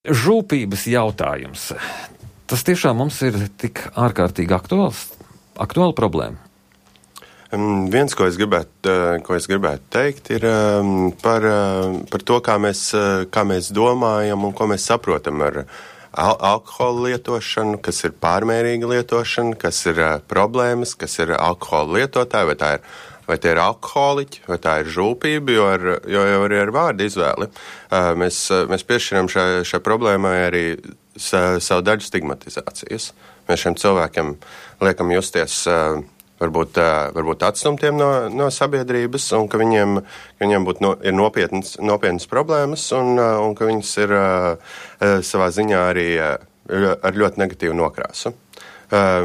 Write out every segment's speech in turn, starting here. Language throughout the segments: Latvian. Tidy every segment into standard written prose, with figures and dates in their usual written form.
Žūpības jautājums. Tas tiešām mums ir tik ārkārtīgi aktuāla problēma. Viens, ko es gribētu teikt, ir par to, kā mēs domājam un ko mēs saprotam ar alkohola lietošanu, kas ir pārmērīga lietošana, kas ir problēmas, kas ir alkohola lietotāji, vai tie ir alkoholiķi, vai tā ir žūpība, jo arī ar vārdu izvēli. Mēs piešķiram šai problēmai arī savu daļu stigmatizācijas. Mēs šiem cilvēkiem liekam justies varbūt atstumtiem no sabiedrības, un ka viņiem ir nopietnas problēmas, un ka viņas ir savā ziņā arī ar ļoti negatīvu nokrāsu.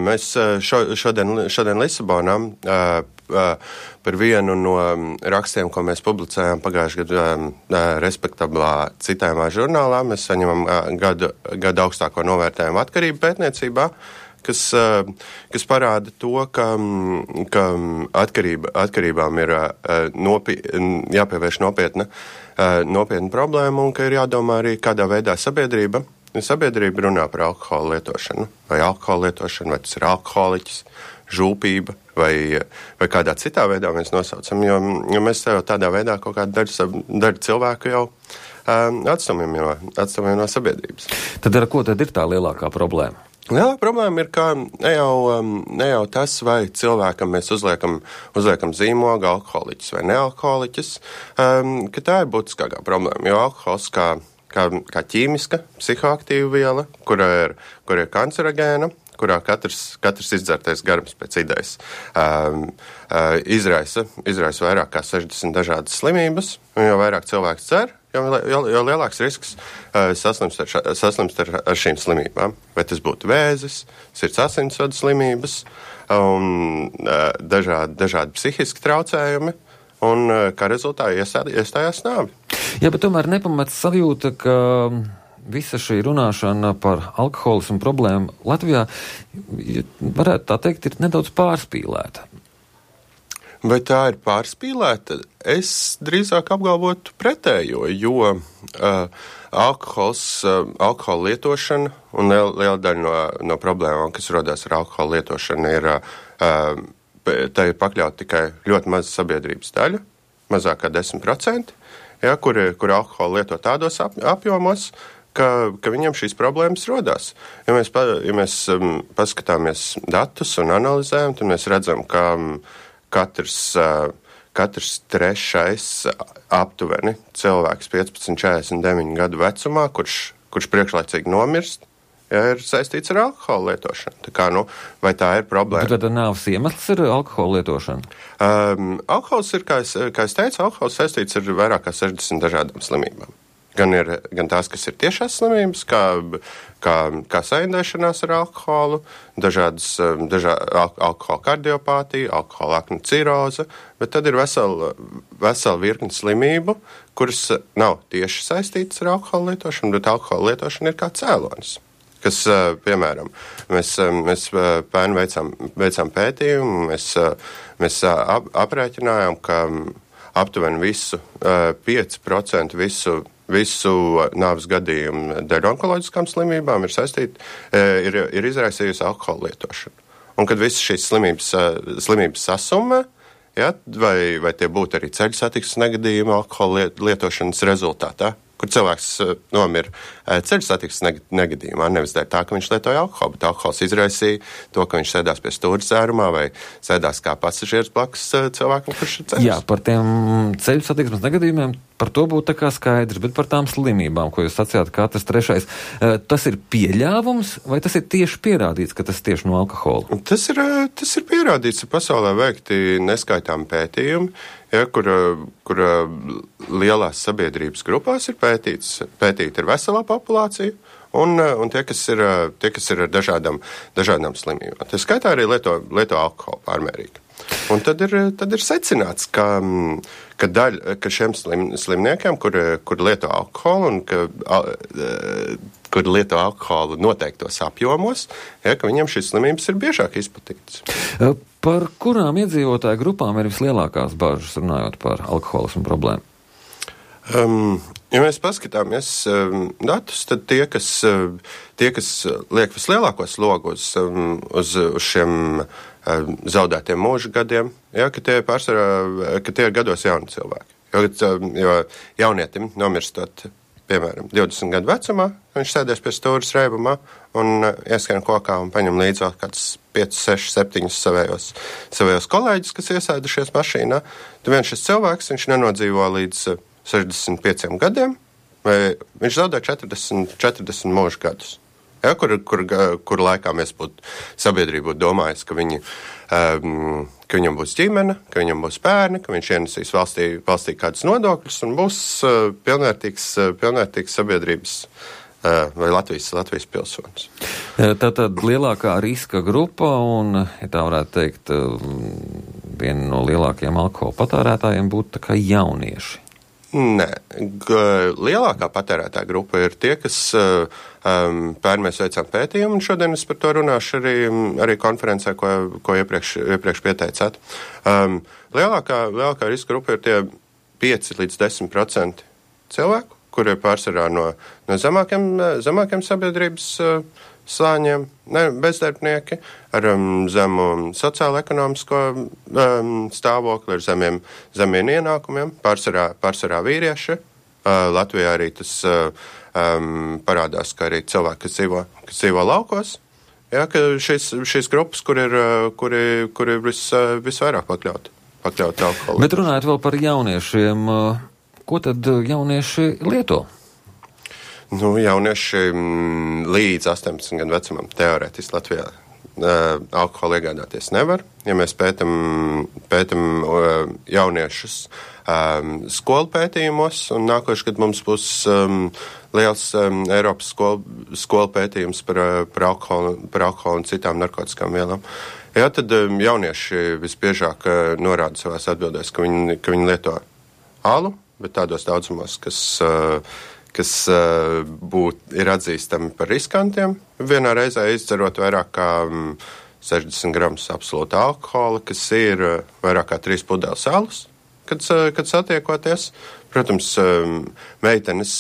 Mēs šodien Lisabonā par vienu no rakstiem, ko mēs publicējām pagājušajā gadā respektablā citējumā žurnālā, mēs saņemam gadu augstāko novērtējumu atkarību pētniecībā, kas parāda to, ka atkarībām ir jāpievērš nopietna problēma un ka ir jādomā arī, kādā veidā sabiedrība runā par alkohola lietošanu. Vai alkohola lietošanu, vai tas ir alkoholiķis, žūpība, vai kādā citā veidā mēs nosaucam, jo mēs jau tādā veidā kaut kādu daļu cilvēku jau atstumjam no sabiedrības. Tad ar ko tad ir tā lielākā problēma? Lielā problēma ir, ka ne jau tas, vai cilvēkam mēs uzliekam zīmogu alkoholiķis vai nealkoholiķis, ka tā ir būtiskākā problēma, jo alkohols kā ķīmiska, psihoaktīva viela, kura ir kancerogēna, kurā katrs izdzertais garums pēc idejas izraisa vairāk kā 60 dažādas slimības, un jo vairāk cilvēks dzer, jo lielāks risks saslimst ar šīm slimībām. Vai tas būtu vēzis, sirds asinsvadu slimības, un dažādi psihiski traucējumi, un kā rezultātā iestājās nāvi. Jā, bet tomēr nepamats sajūta, ka visa šī runāšana par alkoholismu problēmu Latvijā, varētu tā teikt, ir nedaudz pārspīlēta. Vai tā ir pārspīlēta? Es drīzāk apgalvotu pretējo, jo alkohola lietošana un liela daļa no problēmām, kas rodās ar alkohola lietošanu, tā ir pakļauta tikai ļoti maza sabiedrības daļa, mazāk kā 10%, kur alkohola lieto tādos apjomos, ka viņam šīs problēmas rodās. Ja mēs paskatāmies datus un analizējam, tad mēs redzam, ka katrs trešais aptuveni cilvēks 15-49 gadu vecumā, kurš priekšlaicīgi nomirst, ir saistīts ar alkohola lietošanu. Tā kā, vai tā ir problēma? Bet tad nāves iemesls ir alkohola lietošana? Alkohols ir, kā es teicu, alkohols saistīts ar vairāk kā 60 dažādām slimībām. Gan tās, kas ir tiešās slimības, kā saindēšanās ar alkoholu, alkohola kardiopātija, alkohola aknu ciroze, bet tad ir vesela virkne slimību, kuras nav tieši saistītas ar alkohola lietošanu, bet alkohola lietošana ir kā cēlonis. Kas, piemēram, mēs pērn veicām pētījumu, mēs aprēķinājām, ka aptuveni 5% visu nāves gadījumu dēļ onkoloģiskām slimībām ir izraisījusi alkohola lietošanu. Un kad visas šīs slimības sasumē, vai tie būtu arī ceļu satiksmes negadījumi alkohola lietošanas rezultātā, kur cilvēks nomira ceļu satiksmes negadījumā, nevis dēļ tā, ka viņš lietoja alkoholu, bet alkohols izraisīja to, ka viņš sēdās pie stūra dzērumā vai sēdās kā pasažieris blakus cilvēkam, kurš ir ceļus. Jā, par tiem ceļu satiksmes negadījumiem, par to būtu tā kā skaidrs, bet par tām slimībām, ko jūs sacījāt, katrs trešais, tas ir pieļāvums vai tas ir tieši pierādīts, ka tas tieši no alkohola? Tas ir pierādīts, ka pasaulē veikti neskaitām pētījumi, kur lielās sabiedrības grupās ir pētīta ir veselā populācija un tie, kas ir ar dažādām slimībām. Tā skaitā arī lieto alkoholu pārmērīgi. Un tad ir secināts, ka šiem slimniekiem, kur lieto alkoholu un kur lieto alkoholu noteiktos apjomos, ka viņiem šīs slimības ir biežāk izplatītas. Par kurām iedzīvotāju grupām ir vislielākās bažas runājot par alkoholismu problēmu? Ja mēs paskatāmies datus, tad tie, kas liek vislielāko slogu uz šiem zaudētiem mūža gadiem, ka tie ir gados jauni cilvēki. Jo jaunietim nomirstot, piemēram, 20 gadu vecumā, viņš sēdēs pie stūras reibumā un ieskrien kokā un paņem līdzi vēl kāds 5, 6, 7 savējos kolēģus, kas iesēdušies mašīnā. Tad viens šis cilvēks, viņš nenodzīvo līdz 65 gadiem, vai viņš zaudē 40 mūža gadus. Ja, kur laikā mēs sabiedrība būtu domājis, ka viņam būs ģimene, ka viņam būs bērni, ka viņš ienesīs valstī kādus nodokļus un būs pilnvērtīgs sabiedrības vai Latvijas pilsonis. Tātad lielākā riska grupa un, ja tā varētu teikt, viena no lielākajiem alkohola patērētājiem būtu tā kā jaunieši. Nē, lielākā patērētāja grupa ir tie, kas pērn mēs veicām pētījumu, un šodien es par to runāšu arī konferencē, ko iepriekš pieteicāt. Lielākā riska grupa ir tie 5 līdz 10% cilvēku, kuri ir pārsvarā no zemākiem sabiedrības slāņiem, bezdarbnieki, ar zemu sociālo-ekonomisko stāvokli, ar zemiem ienākumiem, pārsvarā vīrieši. Latvijā arī tas parādās, ka arī cilvēki, kas dzīvo laukos, ja, ka šīs grupas, kuri visvairāk pakļaut alkoholu. Bet runājot vēl par jauniešiem, ko tad jaunieši lieto? Jaunieši līdz 18 gadu vecumam teorētiski Latvijā alkoholu iegādāties nevar. Ja mēs pētam jauniešus skolu pētījumos, un nākošais, kad mums būs liels Eiropas skolu pētījums par alkoholu un citām narkotikām vielām, tad jaunieši visbiežāk norāda savās atbildēs, ka viņi lieto alu, bet tādos daudzumos, kas ir atzīstami par riskantiem. Vienā reizē izdzerot vairāk kā 60 gramus absolūta alkohola, kas ir vairāk kā 3 pudeles alus, kad satiekoties. Protams, meitenes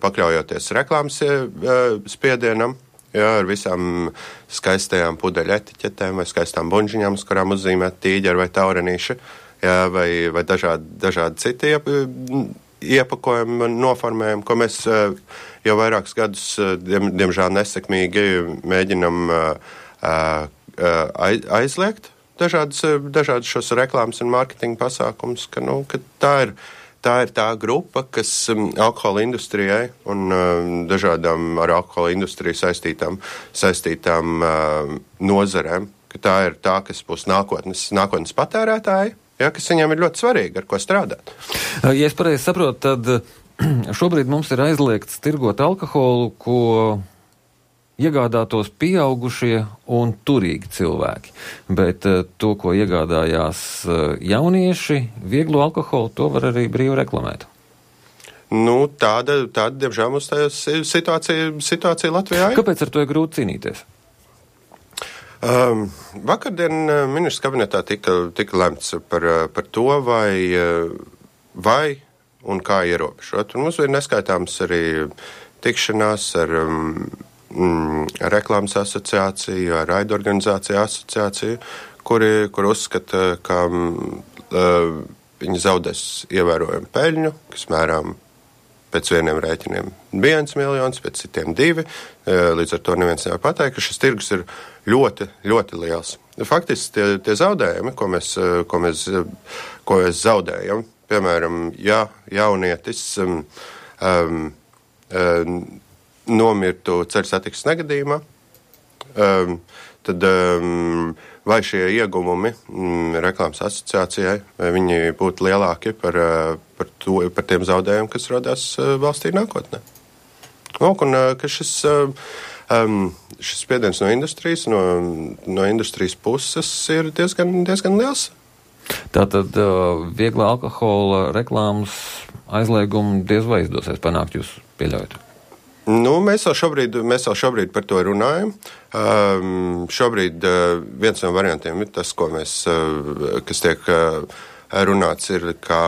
pakļaujoties reklāmas spiedienam, ar visām skaistajām pudeļu etiķetēm vai skaistām bunžiņām, uz kurām uzzīmēt tīģeri vai taurenīši, vai dažādi citi iepakojumi un noformējumi, ko mēs jau vairākus gadus, diemžēl nesekmīgi, mēģinam aizliegt dažādas šos reklāmas un mārketinga pasākumus, ka tā ir tā grupa, kas alkohola industrijai un dažādām ar alkohola industriju saistītām nozarēm, ka tā ir tā, kas būs nākotnes patērētāji. Ja, kas viņiem ir ļoti svarīgi, ar ko strādāt. Ja es pareizi saprotu, tad šobrīd mums ir aizliegts tirgot alkoholu, ko iegādātos pieaugušie un turīgi cilvēki. Bet to, ko iegādājās jaunieši, vieglo alkoholu, to var arī brīvi reklamēt. Tāda diemžēl, mums tā situācija Latvijā ir. Kāpēc ar to ir grūti cīnīties? Vakardien ministrs kabinetā tika lemts par to, vai un kā ierobežot. Un mums ir neskaitāms arī tikšanās ar reklāmas asociāciju, ar raidorganizāciju asociāciju, kur uzskata, ka viņi zaudēs ievērojumu peļņu, kas mērām pēc vieniem rēķiniem 1 miljons, pēc citiem 2. Līdz ar to neviens nevar pateikt, ka šis tirgus ir ļoti, ļoti liels. Faktiski tie zaudējumi, ko mēs zaudējam, piemēram, ja jaunietis nomirtu ceļu satiksmes negadījumā, tad vai šie ieguvumi reklāmas asociācijai, vai viņi būtu lielāki par tiem zaudējumiem, kas rodās valstī nākotnē. Un ka šis spiediens no industrijas, no industrijas puses ir diezgan liels. Tātad viegla alkohola reklāmas aizliegumu diez vai izdosies panākt, jūs pieļaujat? Mēs vēl šobrīd par to runājam. Šobrīd viens no variantiem ir tas, kas tiek runāts, ir, ka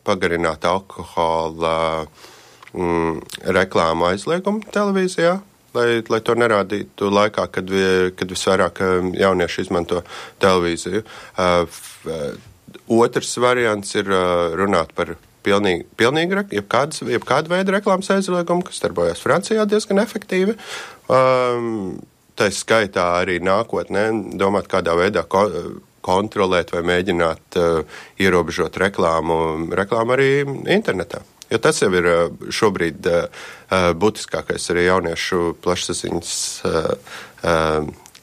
pagarināt alkohola reklāmu aizliegumu televīzijā, lai to nerādītu laikā, kad visvairāk jaunieši izmanto televīziju. Otrs variants ir runāt par pilnīgi jebkāda veida reklāmas aizliegumu, kas darbojas Francijā diezgan efektīvi. Tā skaitā arī nākotnē domāt, kādā veidā kontrolēt vai mēģināt ierobežot reklāmu arī internetā. Jo tas jau ir šobrīd būtiskākais arī jauniešu plašsaziņas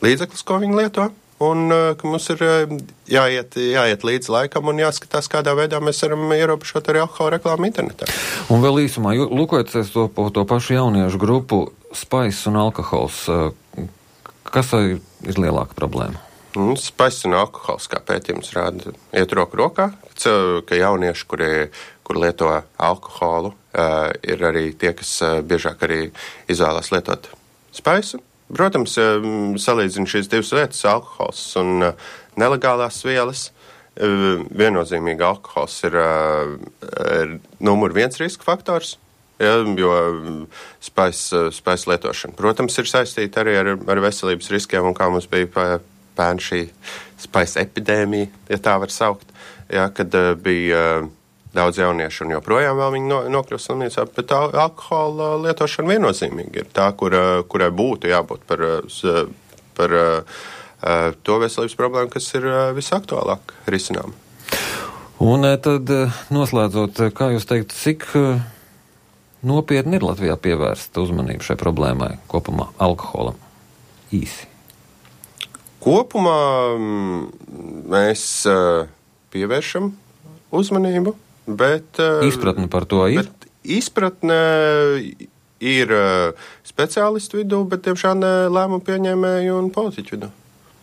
līdzeklis, ko viņi lieto. Un ka mums ir jāiet līdz laikam un jāskatās, kādā veidā mēs varam ierobežot arī alkohola reklāmu internetā. Un vēl īsumā, lūkojoties to pašu jauniešu grupu, spaiss un alkohols, kas ir lielāka problēma? Spaiss un alkohols, kā pētījums rāda, iet roku rokā, ka jaunieši, kur lieto alkoholu, ir arī tie, kas biežāk arī izvēlās lietot spaisu. Protams, salīdzina šīs divas lietas, alkohols un nelegālās vielas. Viennozīmīgi alkohols ir numur 1 riska faktors, jo spaiss lietošana, protams, ir saistīta arī ar veselības riskiem, un kā mums bija pērn šī spaisa epidēmija, ja tā var saukt, kad bija daudz jauniešu un joprojām vēl viņi nokļūst slimnīcā, bet alkohola lietošana viennozīmīgi ir tā, kurai būtu jābūt par to veselības problēmu, kas ir visaktuālāk risinām. Un tad noslēdzot, kā jūs teikt, cik nopietni ir Latvijā pievērsta uzmanība šai problēmai kopumā alkoholam? Īsi. Kopumā mēs pievēršam uzmanību, bet izpratne par to ir? Bet izpratne ir speciālistu vidū, bet tiemžēl ne lēmumu pieņēmēju un politiķu vidū.